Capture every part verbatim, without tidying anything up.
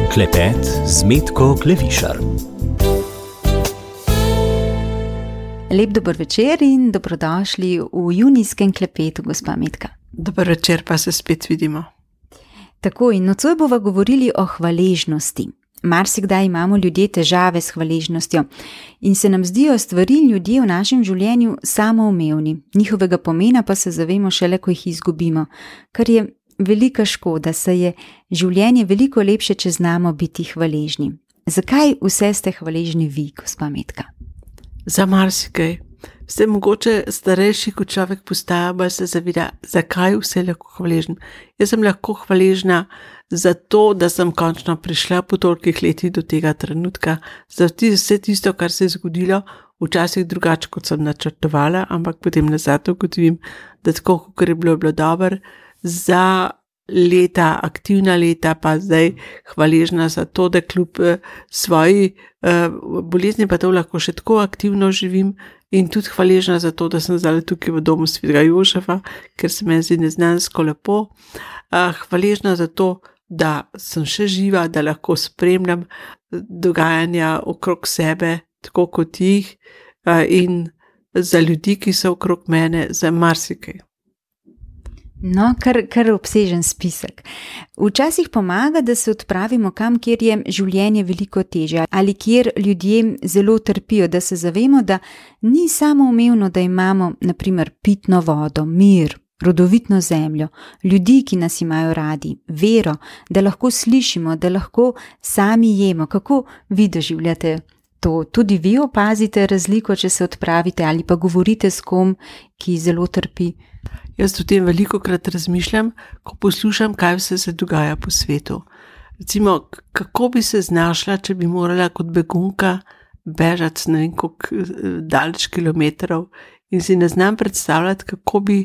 Klepet z Metko Klevišar. Lep dober večer in dobrodošli v junijskem klepetu, gospa Metka. Dober večer, pa se spet vidimo. Tako, in nocoj bova govorili o hvaležnosti. Marsikdaj imamo ljudje težave s hvaležnostjo in se nam zdijo stvari in ljudje v našem življenju samoumevni. Njihovega pomena pa se zavemo šele, ko jih izgubimo, kar je velika škoda, saj je življenje veliko lepše, če znamo biti hvaležni. Zakaj vse ste hvaležni vi, gospa Metka? Za marsikaj. Ste mogoče starejši, ko človek postaja, pa se zaveda, zakaj vse lahko hvaležen. Jaz sem lahko hvaležna za to, da sem končno prišla po tolikih letih do tega trenutka, za vse tisto, kar se je zgodilo, včasih drugače, kot sem načrtovala, ampak potem nazaj ugotovim, da tako, kot je bilo, bilo dobro, za leta, aktivna leta, pa zdaj hvaležna za to, da kljub svoji uh, bolezni pa to lahko še tako aktivno živim in tudi hvaležna za to, da sem zdaj tukaj v domu Svetega Jožefa, ker se meni zdi neznansko lepo. Uh, hvaležna za to, da sem še živa, da lahko spremljam dogajanja okrog sebe, tako kot jih, uh, in za ljudi, ki so okrog mene, za marsikaj. No, kar, kar obsežen spisek. Včasih pomaga, da se odpravimo kam, kjer je življenje veliko težje ali kjer ljudje zelo trpijo, da se zavemo, da ni samoumevno, da imamo na primer pitno vodo, mir, rodovitno zemljo, ljudi, ki nas imajo radi, vero, da lahko slišimo, da lahko sami jemo. Kako vi doživljate to? Tudi vi opazite razliko, če se odpravite ali pa govorite s kom, ki zelo trpi? Jaz o tem veliko krat razmišljam, ko poslušam, kaj vse se dogaja po svetu. Recimo, kako bi se znašla, če bi morala kot begunka bežati ne vem koliko daleč kilometrov in si ne znam predstavljati, kako bi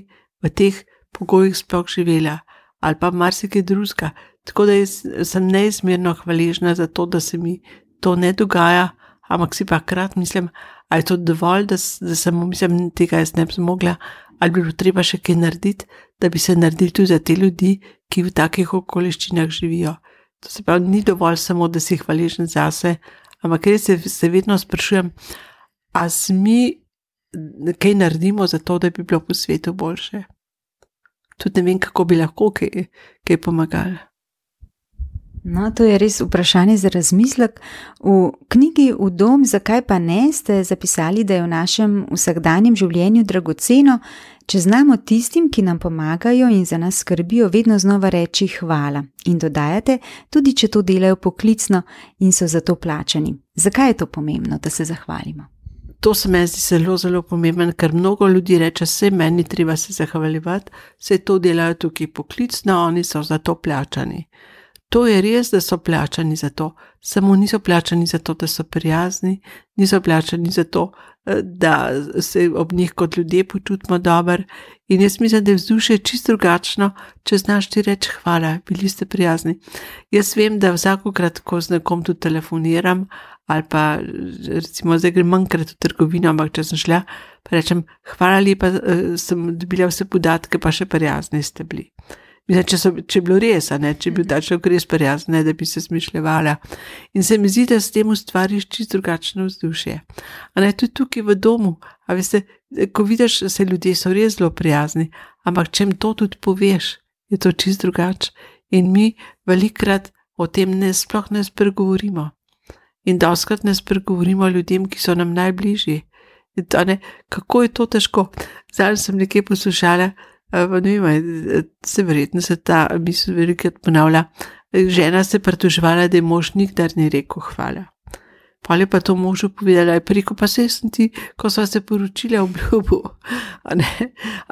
v teh pogojih sploh živela ali pa marsikaj drugega. Tako da jaz sem neizmerno hvaležna za to, da se mi to ne dogaja, ampak si pa krat mislim, ali je to dovolj, da, da sem mislim, tega jaz ne bi zmogla, ali bi bilo treba še kaj narediti, da bi se naredili tudi za te ljudi, ki v takih okoliščinah živijo. To se pravi, ni dovolj samo, da si hvaležen zase, ampak res se, se vedno sprašujem, a mi kaj naredimo za to, da bi bilo po svetu boljše. Tudi ne vem, kako bi lahko kaj, kaj pomagali. No, to je res vprašanje za razmislek. V knjigi V dom, zakaj pa ne, ste zapisali, da je v našem vsakdanjem življenju dragoceno, če znamo tistim, ki nam pomagajo in za nas skrbijo, vedno znova reči hvala. In dodajate, tudi če to delajo poklicno in so za to plačani. Zakaj je to pomembno, da se zahvalimo? To se meni zdi zelo, zelo pomemben, ker mnogo ljudi reče, se meni treba se zahvaljevati, se to delajo tukaj poklicno, oni so za to plačani. To je res, da so plačani za to, samo niso plačani za to, da so prijazni, niso plačani za to, da se ob njih kot ljudje počutimo dobro. In jaz mislim, da je vzdušje čisto drugačno, če znaš ti reči hvala, bili ste prijazni. Jaz vem, da vsakokrat, ko z nekom tudi telefoniram, ali pa recimo zdaj grem manjkrat v trgovino, ampak če sem šla, pa rečem hvala lepa, sem dobila vse podatke, pa še prijazni ste bili. Mislim, če, so, če je bilo res, a ne, če je bil ta človek res prijazen, da bi se smišljevala. In se mi zdi, da s tem ustvariš čisto drugačno vzdušje. A ne, tudi tukaj v domu, a veste, ko vidiš, se ljudje so res zelo prijazni, ampak če jim to tudi poveš, je to čisto drugače. In mi velikrat o tem ne, sploh ne spregovorimo. In doskrat ne spregovorimo ljudem, ki so nam najbližji. In to, ne, kako je to težko? Zdaj sem nekaj poslušala, Pa ne vem, se verjetno se ta misel velikrat ponavlja. Žena se pritoževala, da je mož nikdar ni rekel hvala. Pol je pa to možu povedala, je preko pa se sem ti, ko sva se poročila, obljubil.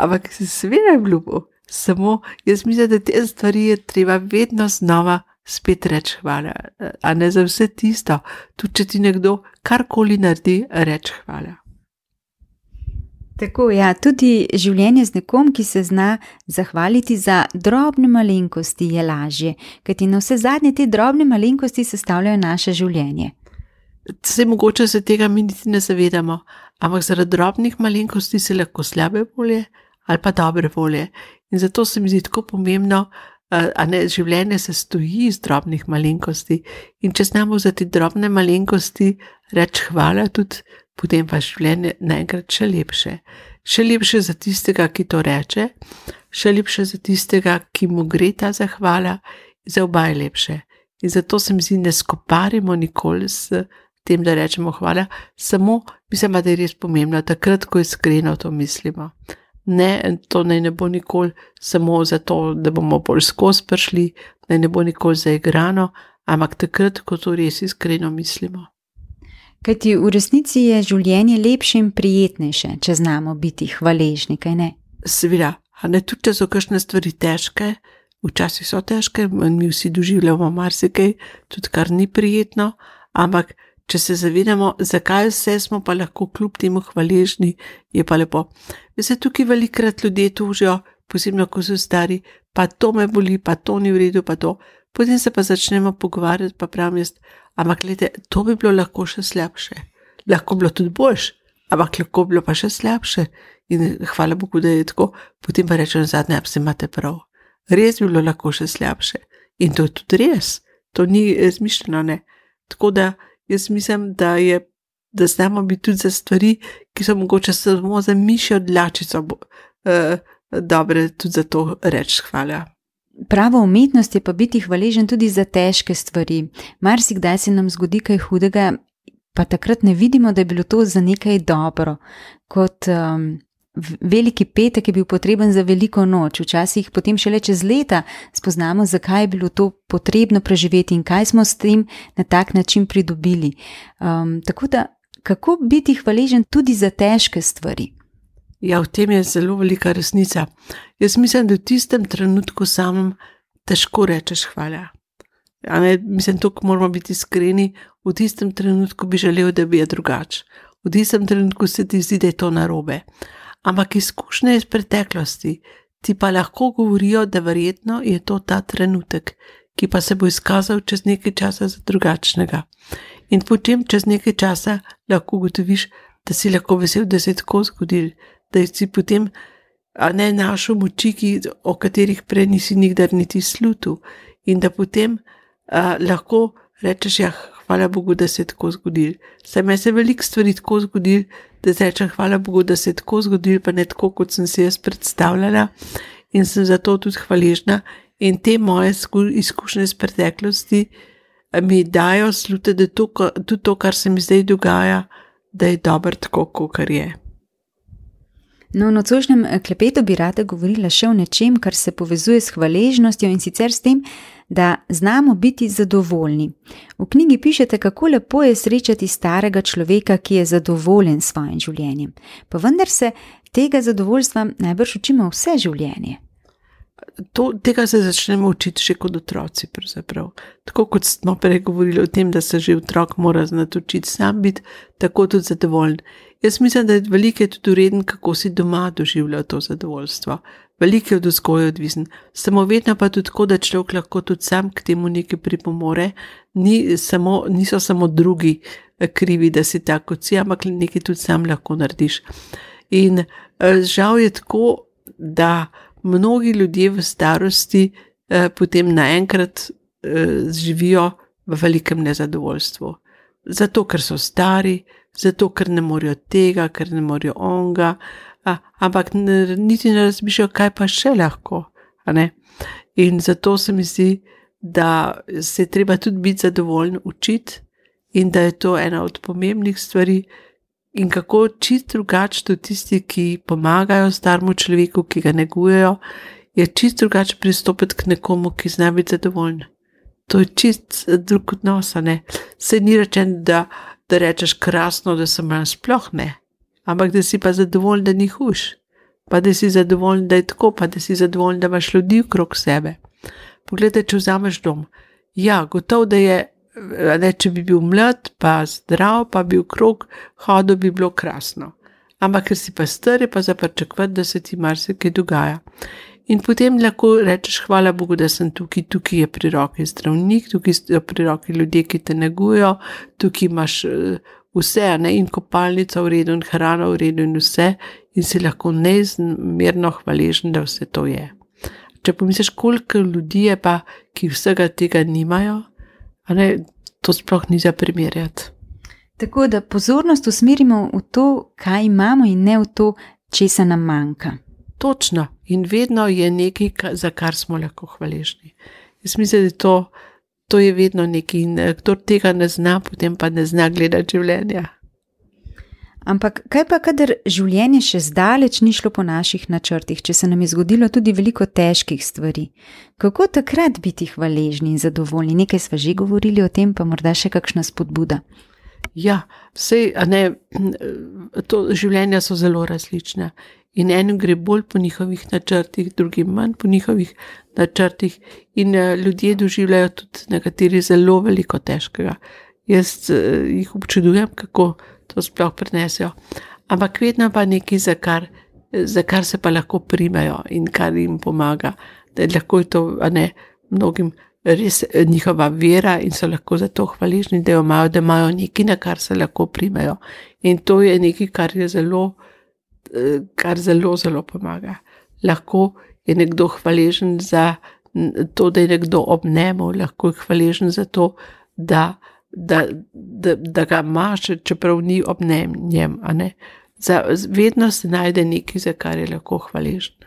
Ampak se seveda obljubil. Samo jaz mislim, da te stvari je treba vedno znova spet reči hvala. A ne za vse tisto. Tudi če ti nekdo karkoli naredi, reči hvala. Tako, ja, tudi življenje z nekom, ki se zna zahvaliti za drobne malenkosti, je lažje, kajti na vse zadnje te drobne malenkosti sestavljajo naše življenje. Se mogoče se tega mi niti ne zavedamo, ampak zaradi drobnih malenkosti se lahko slabe volje ali pa dobre volje. In zato se mi zdi tako pomembno, a ne, življenje se stoji iz drobnih malenkosti in če znamo za te drobne malenkosti reči hvala tudi, potem pa življenje naenkrat še lepše. Še lepše za tistega, ki to reče, še lepše za tistega, ki mu gre ta zahvala, za oba je lepše. In zato se mi zdi, ne skoparimo nikoli s tem, da rečemo hvala, samo mislim, da je res pomembno, takrat, ko iskreno to mislimo. Ne, to naj ne bo nikoli samo zato, da bomo bolj skozi prišli, naj ne bo nikoli zaigrano, ampak takrat, ko to res iskreno mislimo. Kajti v resnici je življenje lepše in prijetnejše, če znamo biti hvaležni, kaj ne? Seveda, a ne tudi, če so kakšne stvari težke, včasih so težke, mi vsi doživljamo marsikaj, tudi kar ni prijetno, ampak če se zavedamo, zakaj vse smo pa lahko kljub temu hvaležni, je pa lepo. Vse tukaj velikrat ljudje tužijo, posebno ko so stari, pa to me boli, pa to ni v redu, pa to. Potem se pa začnemo pogovarjati, pa pravim jaz, ampak gledajte, to bi bilo lahko še slabše. Lahko bilo tudi boljše, ampak lahko bilo pa še slabše. In hvala Bogu, da je tako. Potem pa rečem zadnje, a se imate prav. Res bi bilo lahko še slabše. In to je tudi res. To ni izmišljeno, ne. Tako da jaz mislim, da je, da znamo biti tudi za stvari, ki so mogoče samo za mišjo dlačico eh, dobre, tudi za to reči hvala. Prava umetnost je pa biti hvaležen tudi za težke stvari. Marsikdaj se nam zgodi kaj hudega, pa takrat ne vidimo, da je bilo to za nekaj dobro. Kot um, veliki petek je bil potreben za veliko noč, včasih potem šele čez leta spoznamo, zakaj je bilo to potrebno preživeti in kaj smo s tem na tak način pridobili. Um, tako da, kako biti hvaležen tudi za težke stvari? Ja, v tem je zelo velika resnica. Jaz mislim, da v tistem trenutku samem težko rečeš hvala. Ja, ne, mislim, tukaj moramo biti iskreni, v tistem trenutku bi želel, da bi je drugače. V tistem trenutku se ti zdi, da je to narobe. Ampak izkušnje iz preteklosti ti pa lahko govorijo, da verjetno je to ta trenutek, ki pa se bo izkazal čez nekaj časa za drugačnega. In potem čez nekaj časa lahko ugotoviš, da si lahko vesel, da se je tako zgodil, da si potem a ne našel moči, ki, o katerih prej nisi nikdar niti slutil, in da potem a, lahko rečeš, ja, hvala Bogu, da se je tako zgodil. Saj me se veliko stvari tako zgodil, da rečem, hvala Bogu, da se je tako zgodil, pa ne tako, kot sem si jaz predstavljala, in sem zato tudi hvaležna. In te moje izkušnje iz preteklosti mi dajo slute, da to, tudi to, kar se mi zdaj dogaja, da je dobro tako, kakor je. No, v nocojšnjem klepetu bi rada govorila še o nečem, kar se povezuje s hvaležnostjo in sicer s tem, da znamo biti zadovoljni. V knjigi pišete, kako lepo je srečati starega človeka, ki je zadovoljen s svojim življenjem. Pa vendar se tega zadovoljstva najbrž učimo vse življenje. To, tega se začnemo učiti še kot otroci, pravzaprav. Tako kot smo prej govorili o tem, da se že otrok mora znati učiti sam biti, tako tudi zadovoljen. Jaz mislim, da je veliko tudi ureden, kako si doma doživljal to zadovoljstvo. Veliko je od vzgoje odvisen. Samo vedno pa tudi tako, da človek lahko tudi sam k temu nekaj pripomore. Ni samo, niso samo drugi krivi, da si tako kot si, ampak nekaj tudi sam lahko narediš. In žal je tako, da mnogi ljudje v starosti eh, potem naenkrat eh, živijo v velikem nezadovoljstvu. Zato, ker so stari, zato, ker ne morejo tega, ker ne morejo onga, a, ampak ne, niti ne razmišljajo, kaj pa še lahko. A ne? In zato se mi zdi, da se je treba tudi biti zadovoljen učiti in da je to ena od pomembnih stvari, in kako čist drugače to tisti, ki pomagajo starmu človeku, ki ga negujejo, je čist drugače pristopiti k nekomu, ki zna biti zadovoljen. To je čist drug odnos, ne. Se ni rečen, da, da rečeš krasno, da sem manj, sploh ne. Ampak da si pa zadovoljen, da ni huš. Pa da si zadovoljen, da je tako, pa da si zadovoljen, da imaš ljudi okrog sebe. Poglejte, če vzameš dom. Ja, gotovo, da je ne, če bi bil mlad, pa zdrav, pa bi okrog hodil, bi bilo krasno. Ampak ker si pa star, je pa za pričakovati, da se ti marsikaj dogaja. In potem lahko rečeš, hvala Bogu, da sem tukaj, tukaj je pri roki zdravnik, tukaj so pri roki ljudje, ki te negujejo, tukaj imaš vse, ne, in kopalnica v redu, in hrana v redu, in vse, in si lahko neizmerno hvaležen, da vse to je. če pomisliš, koliko ljudi je pa, ki vsega tega nimajo, a ne, to sploh ni za primerjati. Tako da pozornost usmerimo v to, kaj imamo in ne v to, česa nam manjka. Točno. In vedno je nekaj, za kar smo lahko hvaležni. Jaz mislim, da to, to je vedno nekaj in kdo tega ne zna, potem pa ne zna gledati življenja. Ampak kaj pa, kadar življenje še zdaleč ni šlo po naših načrtih, če se nam je zgodilo tudi veliko težkih stvari? Kako takrat biti hvaležni in zadovoljni? Nekaj sva že govorili o tem, pa morda še kakšna spodbuda. Ja, vse, a ne, to življenja so zelo različna in enim gre bolj po njihovih načrtih, drugim manj po njihovih načrtih in ljudje doživljajo tudi nekateri zelo veliko težkega. Jaz jih občudujem, kako to sploh prenesejo, ampak vedno pa nekaj, za kar, za kar se pa lahko primejo in kar jim pomaga, da lahko je to, a ne, mnogim res njihova vera in so lahko za to hvaležni, da jo imajo, da imajo nekaj, na kar se lahko primejo. In to je nekaj, kar je zelo, kar zelo, zelo pomaga. Lahko je nekdo hvaležen za to, da je nekdo ob njemu, lahko je hvaležen za to, da, da, da, da ga ima, čeprav ni ob njem, a ne. Za, vedno se najde nekaj, za kar je lahko hvaležen.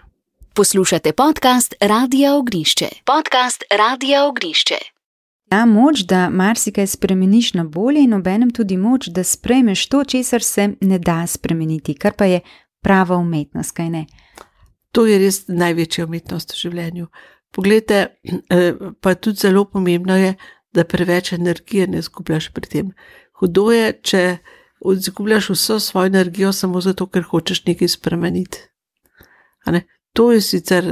Poslušate podcast Radia Ognišče. Podcast Radia Ognišče. Ja, moč, da marsikaj spremeniš na bolje in obenem tudi moč, da sprejmeš to, česar se ne da spremeniti, kar pa je prava umetnost, kaj ne? To je res največja umetnost v življenju. Poglejte, pa tudi zelo pomembno je, da preveč energije ne izgubljaš pri tem. Hudo je, če izgubljaš vso svojo energijo samo zato, ker hočeš nekaj spremeniti. A ne? To je sicer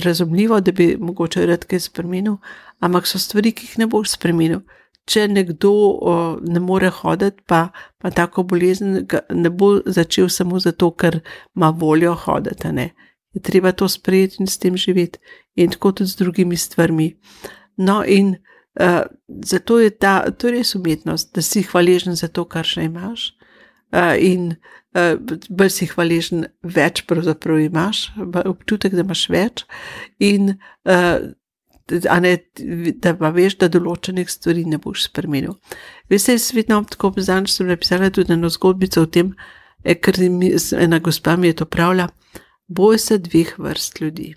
razumljivo, da bi mogoče rad kaj spremenil, ampak so stvari, ki jih ne boš spremenil. Če nekdo o, ne more hoditi, pa, pa tako bolezen ne bo začel samo zato, ker ima voljo hoditi, ne. Je treba to sprejeti in s tem živeti. In tako tudi z drugimi stvarmi. No in uh, zato je ta, to je res umetnost, da si hvaležen za to, kar še imaš. Uh, in uh, bolj si hvaležen, več pravzaprav imaš, občutek, da imaš več in uh, a ne, da pa veš, da določenih stvari ne boš spremenil. Veste, jaz vedno tako pozanič sem napisala tudi eno zgodbico o tem, ker mi, ena gospa mi je to pravila, boj se dveh vrst ljudi.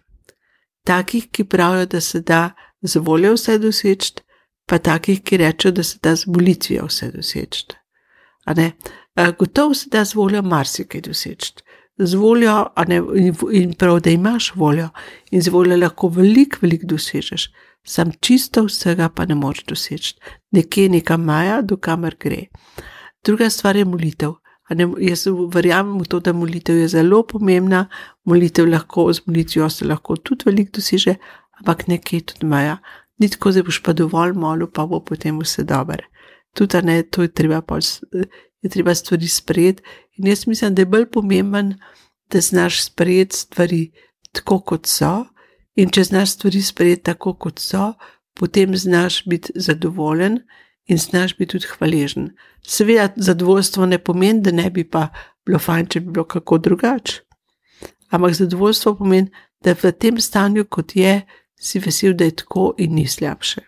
Takih, ki pravijo, da se da z voljo vse doseči, pa takih, ki rečejo, da se da z molitvijo vse doseči. A ne, gotovo se da z voljo marsikaj doseči. Z voljo, a ne, in prav, da imaš voljo in z voljo lahko veliko, veliko dosežeš. Sam čisto vsega pa ne moreš doseči. Nekje neka maja, do kamer gre. Druga stvar je molitev. A ne, jaz verjamem v to, da molitev je zelo pomembna, molitev lahko, z molitvijo se lahko tudi veliko doseže, ampak nekje tudi maja. Ni tako, da boš pa dovolj molil, pa bo potem vse dobro. Tudi, a ne, to je treba pa je treba stvari sprejeti in jaz mislim, da je bolj pomemben, da znaš sprejeti stvari tako, kot so in če znaš stvari sprejeti tako, kot so, potem znaš biti zadovoljen in znaš biti tudi hvaležen. Seveda zadovoljstvo ne pomeni, da ne bi pa bilo fajn, če bi bilo kako drugače. Ampak zadovoljstvo pomeni, da v tem stanju, kot je, si vesel, da je tako in ni slabše.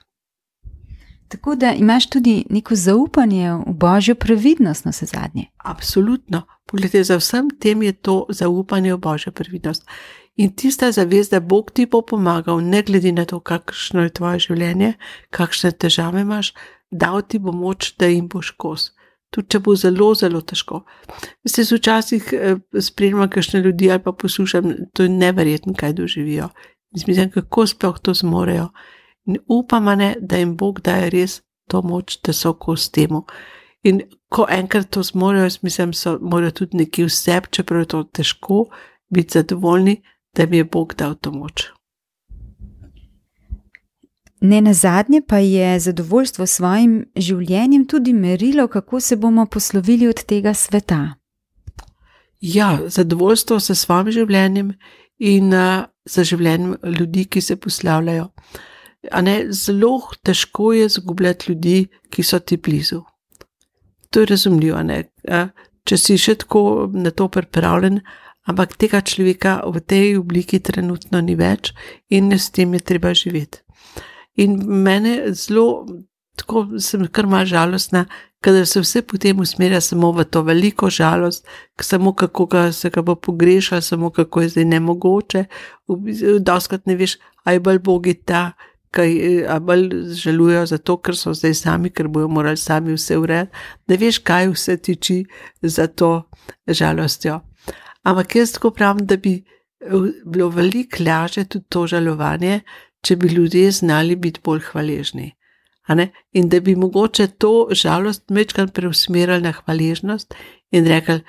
Tako da imaš tudi neko zaupanje v Božjo previdnost na vse zadnje. Absolutno. Poglejte, za vsem tem je to zaupanje v Božjo previdnost. In tista zavest, da Bog ti bo pomagal, ne glede na to, kakšno je tvoje življenje, kakšne težave imaš, dal ti bo moč, da jim boš kos. Tudi če bo zelo, zelo težko. Se včasih eh, spremljam kakšne ljudi ali pa poslušam, to je neverjetno, kaj doživijo. Mislim, kako sploh to zmorejo. In upam, ne, da jim Bog daje res to moč, da so kos temu. In ko enkrat to zmorejo, mislim, so, morajo tudi nekje v sebi, čeprav je to težko, biti zadovoljni, da jim je Bog dal to moč. Ne nazadnje pa je zadovoljstvo s svojim življenjem tudi merilo, kako se bomo poslovili od tega sveta. Ja, zadovoljstvo s svojim življenjem in uh, za življenjem ljudi, ki se poslavljajo. A ne, zelo težko je zgubljati ljudi, ki so ti blizu. To je razumljivo, ne. Če si še tako na to pripravljen, ampak tega človeka v tej obliki trenutno ni več in s tem je treba živeti. In mene zelo, tako sem kar malo žalostna, kadar se vse potem usmerja samo v to veliko žalost, samo kako ga, se ga bo pogrešal, samo kako je zdaj nemogoče, doskrat ne veš, a je bolj bogi ta, kaj, a bolj žalujejo zato, ker so zdaj sami, ker bojo morali sami vse urediti, da veš, kaj vse tiči za to žalostjo. Ampak jaz tako pravim, da bi bilo veliko lažje tudi to žalovanje, če bi ljudje znali biti bolj hvaležni. In da bi mogoče to žalost večkrat preusmerili na hvaležnost in rekli,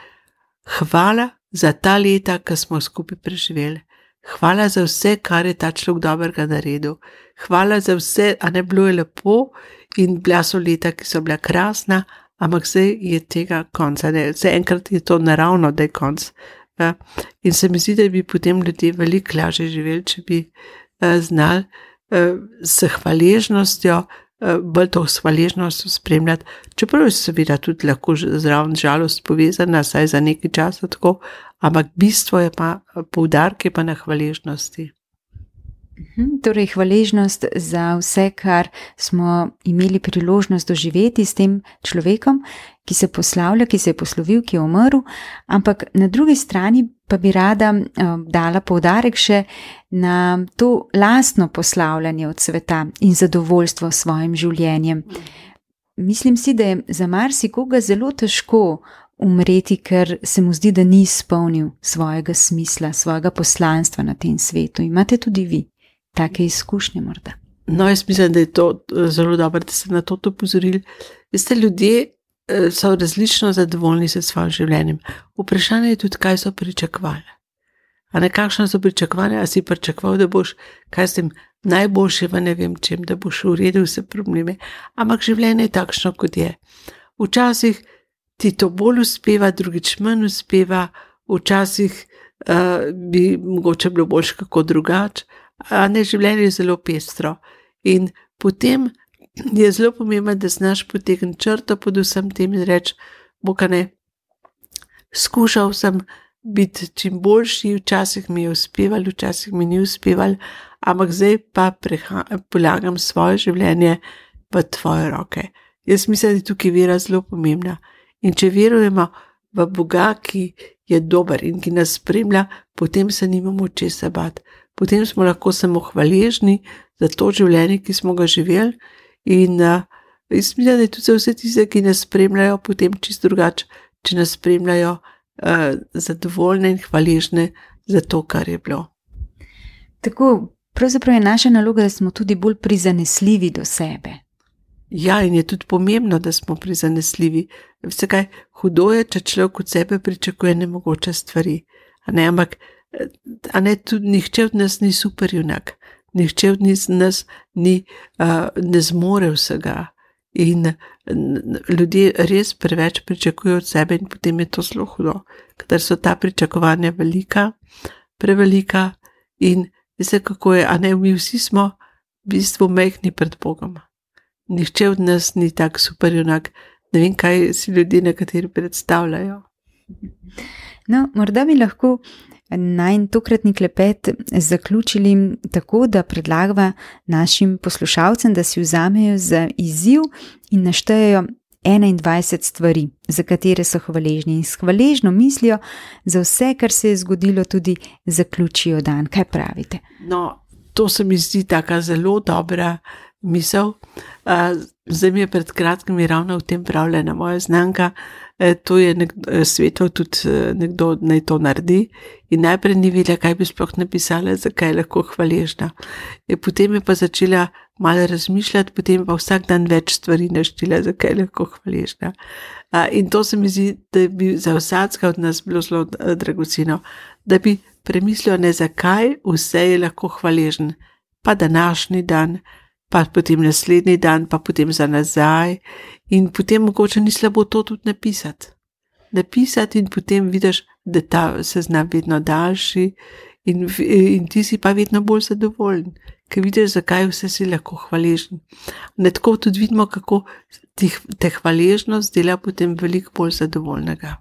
hvala za ta leta, ki smo skupaj preživeli. Hvala za vse, kar je ta človek dobrega naredil. Hvala za vse, a ne bilo je lepo in bila so leta, ki so bila krasna, ampak zdaj je tega konca. Zdaj enkrat je to naravno, da je konc. Ja. In se mi zdi, da bi potem ljudje veliko lažje živeli, če bi uh, znali uh, s hvaležnostjo, uh, bolj to s hvaležnostjo spremljati, čeprav je seveda tudi lahko zraven žalost povezana, saj za nekaj časa tako, ampak bistvo je pa, poudarek je pa na hvaležnosti. Torej, hvaležnost za vse, kar smo imeli priložnost doživeti s tem človekom, ki se poslavlja, ki se je poslovil, ki je umrl, ampak na drugi strani pa bi rada uh, dala poudarek še na to lastno poslavljanje od sveta in zadovoljstvo s svojim življenjem. Mislim si, da je za marsikoga zelo težko umreti, ker se mu zdi, da ni izpolnil svojega smisla, svojega poslanstva na tem svetu. Imate tudi vi take izkušnje morda? No, jaz mislim, da je to zelo dobro, da ste na to opozorili. Veste, ljudje so različno zadovoljni s svojim življenjem. Vprašanje je tudi, kaj so pričakovali. A ne, kakšno so pričakovali, a si pričakoval, da boš, kaj s tem najboljše v ne vem čem, da boš uredil vse probleme. Ampak življenje je takšno, kot je. Včasih ti to bolj uspeva, drugič manj uspeva, včasih uh, bi mogoče bilo boljše kako drugače, a ne, življenje je zelo pestro. In potem je zelo pomembno, da znaš potegniti črto pod vsem tem in reči, boka ne, skušal sem biti čim boljši, včasih mi je uspeval, včasih mi ni uspeval, ampak zdaj pa preha, polagam svoje življenje v tvoje roke. Jaz mislim, da je tukaj vera zelo pomembna. In če verujemo v Boga, ki je dober in ki nas spremlja, potem se nimamo česa bati. Potem smo lahko samo hvaležni za to življenje, ki smo ga živeli. In uh, jaz mislim, da je tudi za vse tiste, ki nas spremljajo, potem čisto drugače, če nas spremljajo uh, zadovoljne in hvaležne za to, kar je bilo. Tako, pravzaprav je naša naloga, da smo tudi bolj prizanesljivi do sebe. Ja, in je tudi pomembno, da smo prizanesljivi. Vse kaj, hudo je, če človek od sebe pričakuje nemogoče stvari. A ne, ampak a ne, tudi nihče od nas ni superjunak. Nihče od nas ni, uh, ne zmore vsega. In ljudje res preveč pričakujejo od sebe in potem je to zelo hudo. Kadar so ta pričakovanja velika, prevelika in veste, kako je, a ne, mi vsi smo v bistvu majhni pred Bogom. Nihče od nas ni tak superjunak. Ne vem, kaj si ljudje nekateri predstavljajo. No, morda bi lahko najin tokratni klepet zaključili tako, da predlagava našim poslušalcem, da si vzamejo za izziv in naštejejo enaindvajset stvari, za katere so hvaležni in s hvaležno mislijo za vse, kar se je zgodilo, tudi zaključijo dan. Kaj pravite? No, to se mi zdi taka zelo dobra misel. Zdaj mi je pred kratkim ravno v tem pravljena moja znanka, to je nekdo, svetov tudi nekdo naj to naredi in najprej ni vedela, kaj bi sploh napisala, zakaj je lahko hvaležna. Potem je pa začela malo razmišljati, potem pa vsak dan več stvari naštela, zakaj je lahko hvaležna. In to se mi zdi, da bi za vsakega od nas bilo zelo dragoceno, da bi premislil, ne zakaj vse je lahko hvaležen, pa današnji dan, pa potem naslednji dan, pa potem za nazaj in potem mogoče ni slabo to tudi napisati. Napisati in potem vidiš, da ta seznam vedno daljši in, in ti si pa vedno bolj zadovoljen, ker vidiš, zakaj vse si lahko hvaležen. Ne tako tudi vidimo, kako te hvaležnost dela potem veliko bolj zadovoljnega.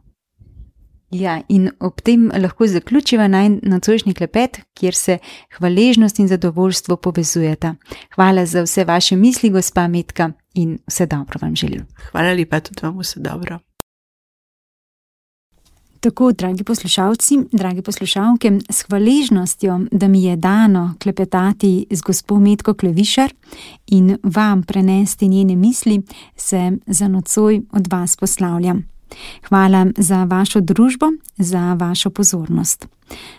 Ja, in ob tem lahko zaključiva naj nocojšnji klepet, kjer se hvaležnost in zadovoljstvo povezujeta. Hvala za vse vaše misli, gospa Metka, in vse dobro vam želim. Hvala lepa, tudi vam vse dobro. Tako, dragi poslušalci, dragi poslušalke, s hvaležnostjo, da mi je dano klepetati z gospo Metko Klevišar in vam prenesti njene misli, se za nocoj od vas poslavljam. Hvala za vašo družbo, za vašo pozornost.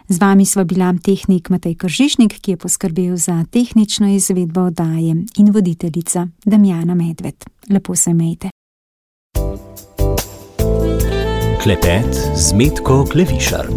Z vami sva bila tehnik Matej Kržišnik, ki je poskrbel za tehnično izvedbo oddaje, in voditeljica Damjana Medved. Lepo se imejte. Klepet z Metko Klevišar.